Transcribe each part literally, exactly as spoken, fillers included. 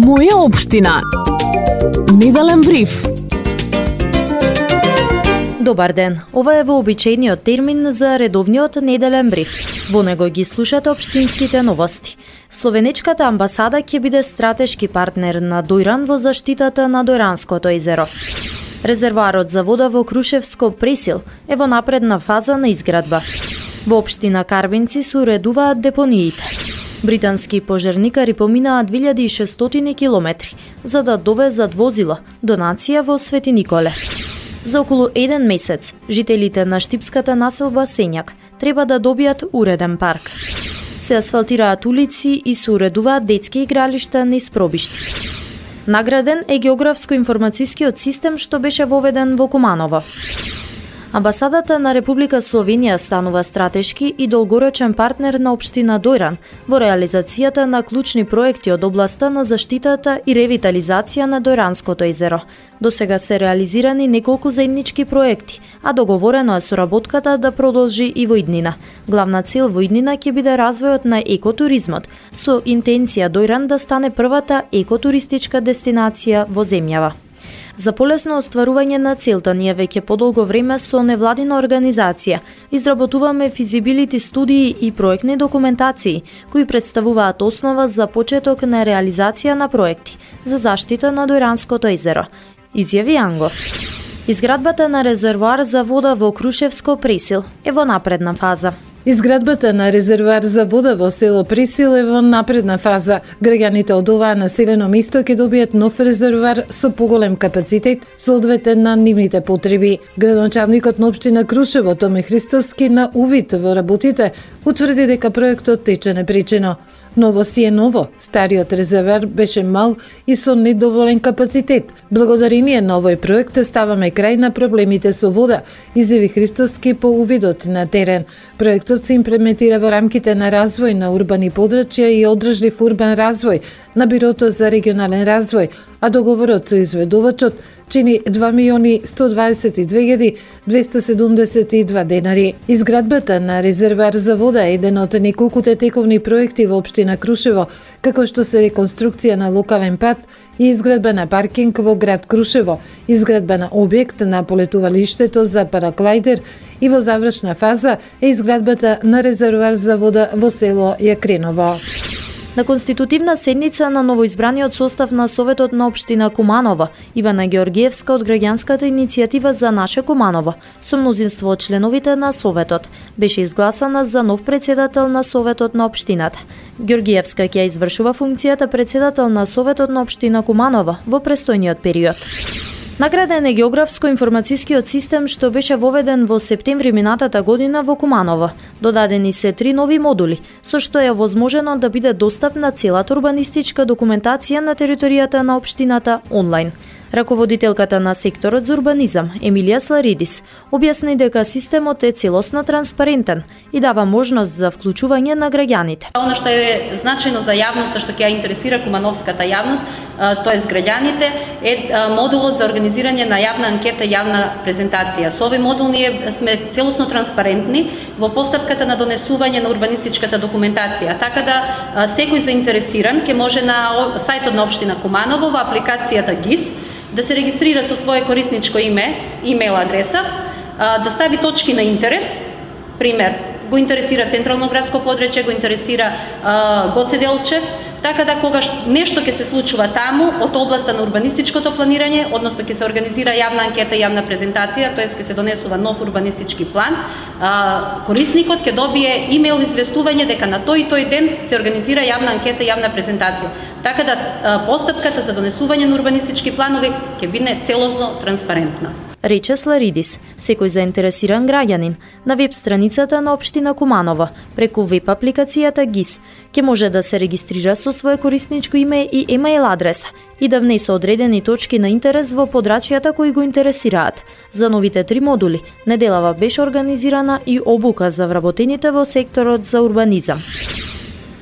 Моја општина. Неделен бриф. Добар ден. Ова е вообичаениот термин за редовниот неделен бриф. Во него ги слушате општинските новости. Словенечката амбасада ќе биде стратешки партнер на Дојран во заштитата на Дојранското езеро. Резервоарот за вода во Крушевско Пресил е во напредна фаза на изградба. Во општина Карбинци се уредуваат депониите. Британски пожарникари поминаа две илјади и шестстотини километри за да довезат возила, донација во Свети Николе. За околу еден месец, жителите на штипската населба Сењак треба да добијат уреден парк. Се асфалтираат улици и се уредуваат детски игралишта низ пробишти. Награден е географско-информацијскиот систем што беше воведен во Куманово. Амбасадата на Република Словенија станува стратешки и долгорочен партнер на општина Дојран во реализацијата на клучни проекти од областа на заштитата и ревитализација на Дојранското езеро. До сега се реализирани неколку заеднички проекти, а договорено е соработката да продолжи и во иднина. Главна цел во иднина ќе биде развојот на екотуризмот, со интенција Дојран да стане првата екотуристичка дестинација во земјава. За полесно остварување на целта ние веќе подолго време со невладина организација изработуваме физибилити студии и проектни документации кои представуваат основа за почеток на реализација на проекти за заштита на Дојранското езеро, изјави Ангов. Изградбата на резервоар за вода во Крушевско Пресил е во напредна фаза. Изградбата на резервоар за вода во село Пресил е во напредна фаза. Граѓаните од оваа населено место ќе добијат нов резервоар со поголем капацитет, соодветен на нивните потреби. Градоначалникот на општина Крушево Томе Христоски на увид во работите утврди дека проектот тече непречено. Ново си е ново, стариот резервоар беше мал и со недоволен капацитет. Благодарение на овој проект ставаме крај на проблемите со вода, изјави Христоски по увидот на терен. Проектот се имплементира во рамките на развој на урбани подрачја и одржлив урбан развој на Бирото за регионален развој, а договорот со изведувачот чини два милиони сто дваесет и две илјади двесте седумдесет и два денари. Изградбата на резервоар за вода е еден од неколкуте тековни проекти во општина Крушево, како што се реконструкција на локален пат и изградба на паркинг во град Крушево, изградба на објект на полетувалиштето за параглайдер и во завршна фаза е изградбата на резервоар за вода во село Јакреново. На конститутивна седница на новоизбраниот состав на Советот на општина Куманово, Ивана Георгиевска од граѓанската иницијатива за наше Куманово, со мнозинство од членовите на Советот, беше изгласана за нов председател на Советот на општината. Георгиевска ќе извршува функцијата председател на Советот на општина Куманово во престојниот период. Награден е географско-информацијскиот систем што беше воведен во септември минатата година во Куманово. Додадени се три нови модули, со што е возможено да биде достапна целата урбанистичка документација на територијата на општината онлайн. Раководителката на секторот за урбанизам, Емилија Сларидис, објасни дека системот е целосно транспарентен и дава можност за вклучување на граѓаните. Оно што е значајно за јавноста, што ќе ја интересира кумановската јавност, тоест граѓаните, е модулот за организирање на јавна анкета и јавна презентација. Со овој модул ние сме целосно транспарентни во постапката на донесување на урбанистичката документација, така да секој заинтересиран ќе може на сајтот на општина Куманово во апликацијата ГИС да се регистрира со свое корисничко име, имейл адреса, да стави точки на интерес, пример, го интересира Централно градско подрачје, го интересира Гоце Делчев, така да когаш нешто ќе се случува таму од областа на урбанистичкото планирање, односно ќе се организира јавна анкета, јавна презентација, тоест ќе се донесува нов урбанистички план, корисникот ќе добие имейл известување дека на тој и тој ден се организира јавна анкета, јавна презентација. Така да постапката за донесување на урбанистички планови ќе биде целосно транспарентна. Рече Сларидис, секој заинтересиран граѓанин на веб страницата на општина Куманово преку веб апликацијата ГИС ќе може да се регистрира со свое корисничко име и емейл адреса и да внесе одредени точки на интерес во подрачјата кои го интересираат. За новите три модули неделава беше организирана и обука за вработените во секторот за урбанизам.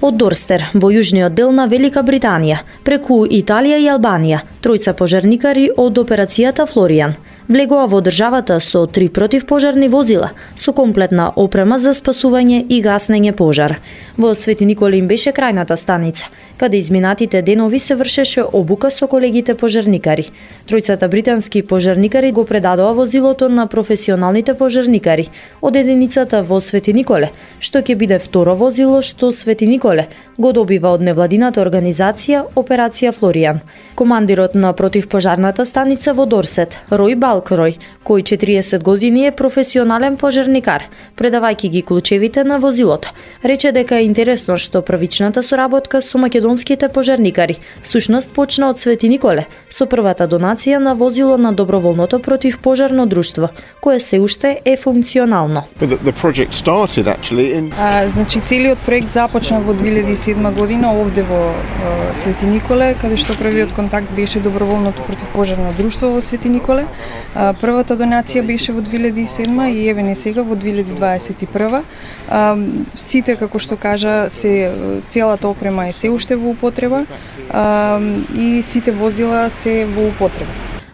Од Дорстер, во јужниот дел на Велика Британија, преку Италија и Албанија, тројца пожарникари од операцијата Флоријан влегоа во државата со три противпожарни возила, со комплетна опрема за спасување и гаснење пожар. Во Свети Николе им беше крајната станица. каде изминатите денови се вршеше обука со колегите пожарникари. Тројцата британски пожарникари го предадоа возилото на професионалните пожарникари од единицата во Свети Николе, што ќе биде второ возило што Свети Николе го добива од невладината организација Операција Флоријан. Командирот на противпожарната станица во Дорсет, Рој Балкрој, кој четириесет години е професионален пожарникар, предавајќи ги клучевите на возилото, рече дека е интересно што првичната соработка со македонските пожарникари всушност почна од Свети Николе со првата донација на возило на доброволното противпожарно друштво, кое се уште е функционално. The, the project started actually in... А, значи целиот проект започна во две илјади и седма година овде во а, Свети Николе, каде што првиот контакт беше доброволното противпожарно друштво во Свети Николе. А, првата донација беше во две илјади и седма и еве не сега во две илјади дваесет и прва. А, сите, како што кажа, се целата опрема е се уште во употреба а, и сите возила се во употреба.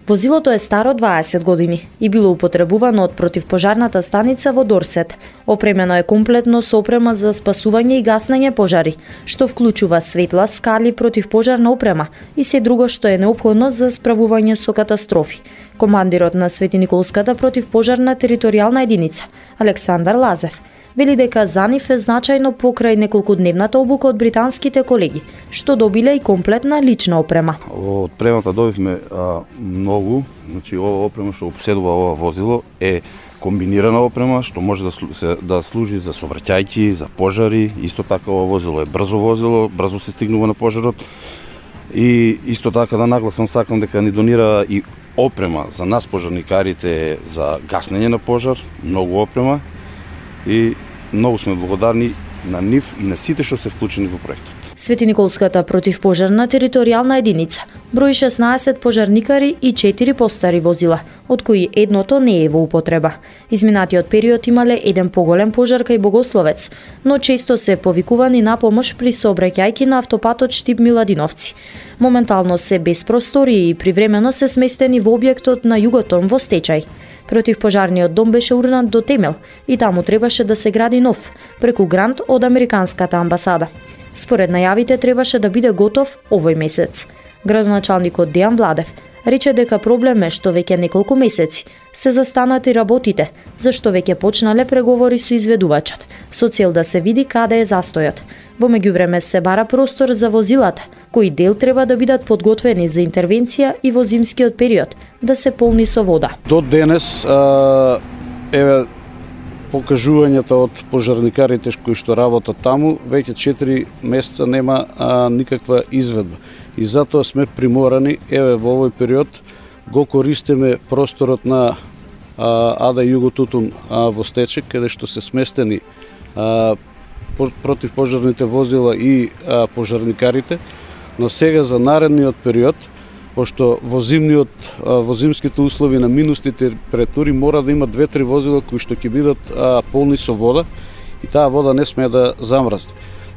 Возилото е старо дваесет години и било употребувано од противпожарната станица во Дорсет. Опремено е комплетно со опрема за спасување и гаснење пожари, што вклучува светла, скали, противпожарна опрема и се друго што е неопходно за справување со катастрофи. Командирот на Светиниколската противпожарна територијална единица, Александар Лазев, вели дека за нив е значајно покрај неколкудневната обука од британските колеги, што добиле и комплетна лична опрема. Од премата добивме а, многу, значи ова опрема што поседува ова возило е комбинирана опрема што може да, се, да служи за сообраќајки, за пожари. Исто така ова возило е брзо возило, брзо се стигнува на пожарот. И исто така да нагласам сакам дека ни донира и опрема за нас пожарникарите за гаснење на пожар, многу опрема. И многу сме благодарни на нив и на сите што се вклучени во проектот. Светиниколската противпожарна територијална единица брои шеснаесет пожарникари и четири постари возила, од кои едното не е во употреба. Изминатиот период имале еден поголем пожар кај Богословец, но често се повикувани на помош при сообраќајки на автопатот Штип-Миладиновци. Моментално се без простории и привремено се сместени во објектот на Југотон во стечај. Противпожарниот дом беше урнат до темел и таму требаше да се гради нов, преку грант од Американската амбасада. Според најавите требаше да биде готов овој месец. Градоначалникот Дејан Владев рече дека проблем е што веќе неколку месеци се застанати работите, зашто веќе почнале преговори со изведувачот, со цел да се види каде е застојот. Во меѓувреме се бара простор за возилата, кои дел треба да бидат подготвени за интервенција и во зимскиот период да се полни со вода. До денес а, еве покажувањата од пожарникарите кои што работат таму, веќе четири месеца нема а, никаква изведба. И затоа сме приморани, еве во овој период, го користиме просторот на а, Ада Југотутун а, во Стечек, каде што се сместени а, противпожарните возила и а, пожарникарите, но сега за наредниот период, пошто во зимниот во зимските услови на минусни температури мора да има две-три возила кои што ќе бидат а, полни со вода и таа вода не смее да замразне.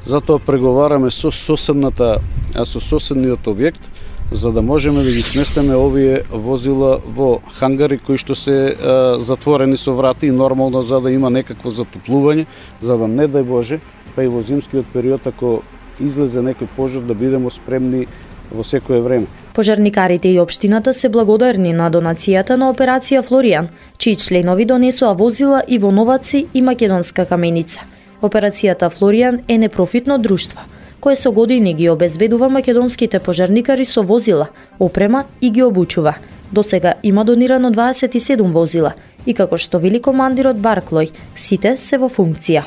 Затоа преговараме со соседната а, со соседниот објект за да можеме да ги сместиме овие возила во хангари кои што се а, затворени со врати и нормално за да има некакво затоплување, за да не дај Боже, па и во зимскиот период ако излезе некој пожар да бидеме спремни во секое време. Пожарникарите и општината се благодарни на донацијата на Операција Флоријан, чии членови донесоа возила и во Новаци и Македонска каменица. Операцијата Флоријан е непрофитно друштво, кое со години ги обезбедува македонските пожарникари со возила, опрема и ги обучува. До сега има донирано дваесет и седум возила и како што вели командирот Барклој, сите се во функција.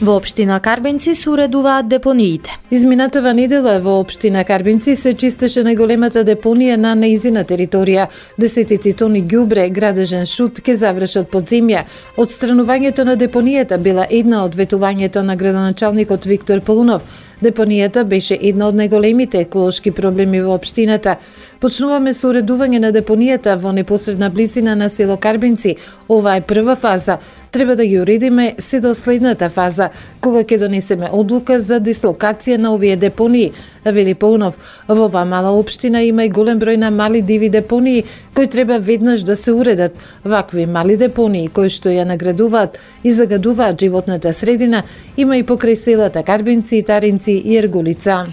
Во општина Карбенци се уредуваат депониите. Изминатава недела во општина Карбенци се чистеше најголемата депонија на нејзина територија. Десетици тони ѓубре, градежен шут ке завршат под земја. Отстранувањето на депонијата била една од ветувањето на градоначалникот Виктор Полунов. Депонијата беше една од најголемите еколошки проблеми во општината. Почнуваме со уредување на депонијата во непосредна близина на село Карбенци. Ова е прва фаза. Треба да ги уредиме се до следната фаза, кога ќе донесеме одлука за дислокација на овие депонии, вели Полунов. Во оваа мала општина има и голем број на мали диви депонии кои треба веднаш да се уредат. Вакви мали депонии кои што ја наградуваат и загадуваат животната средина има и покрај селата Карбенци, Таринци Ковачевци и Ергулица.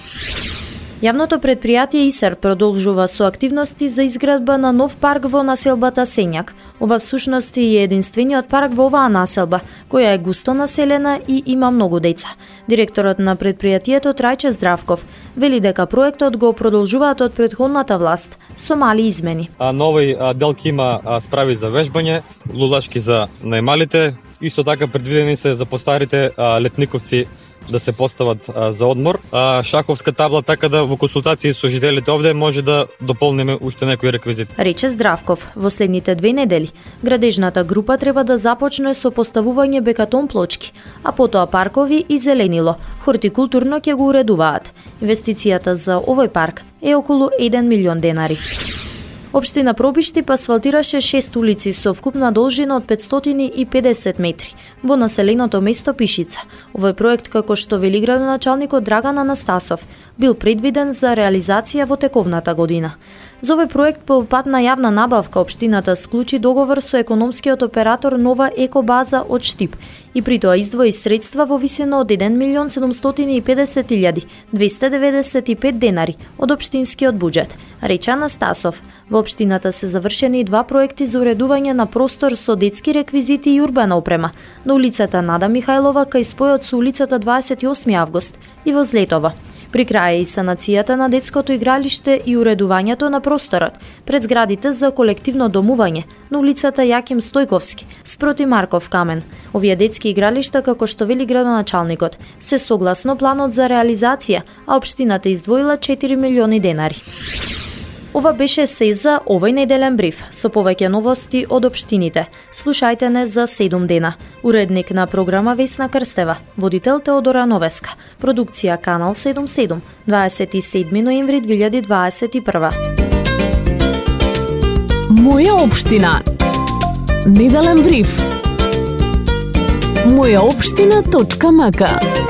Јавното предпријатие ИСЕР продолжува со активности за изградба на нов парк во населбата Сењак. Ова всушност е единствениот парк во оваа населба, која е густо населена и има многу деца. Директорот на предпријатието Трајче Здравков вели дека проектот го продолжуваат од претходната власт со мали измени. А новој дел ќе има справи за вежбање, лулашки за најмалите, исто така предвидени се за постарите летниковци да се постават а, за одмор. А, шаховска табла, така да во консултации со жителите овде може да дополниме уште некои реквизити. Рече Здравков, во следните две недели градежната група треба да започне со поставување бекатон плочки, а потоа паркови и зеленило. Хортикултурно ќе го уредуваат. Инвестицијата за овој парк е околу еден милион денари. Општина Пробишти асфалтираше шест улици со вкупна должина од петстотини и педесет метри во населеното место Пишица. Овој проект, како што вели градоначалникот Драган Анастасов, бил предвиден за реализација во тековната година. За овој проект по пат на јавна набавка општината склучи договор со економскиот оператор Нова Екобаза од Штип и при тоа издвои средства во висина од еден милион седумстотини и педесет илјади двесте деветдесет и пет денари од општинскиот буџет, рече Анастасов. Во општината се завршени два проекти за уредување на простор со детски реквизити и урбана опрема на улицата Нада Михајлова кај спојот со улицата дваесет и осми август и во Злетова. При крај и санацијата на детското игралиште и уредувањето на просторот пред зградите за колективно домување на улицата Јаким Стојковски спроти Марков камен. Овие детски игралишта, како што вели градоначалникот, се согласно планот за реализација, а општината издвоила четири милиони денари. Ова беше се за овој неделен бриф, со повеќе новости од општините. Слушајте не за седум дена. Уредник на програма Весна Крстева, водител Теодора Новеска, продукција Канал седумдесет и седум, дваесет и седми ноември две илјади дваесет и прва. Моја општина. Неделен бриф. моја општина точка м к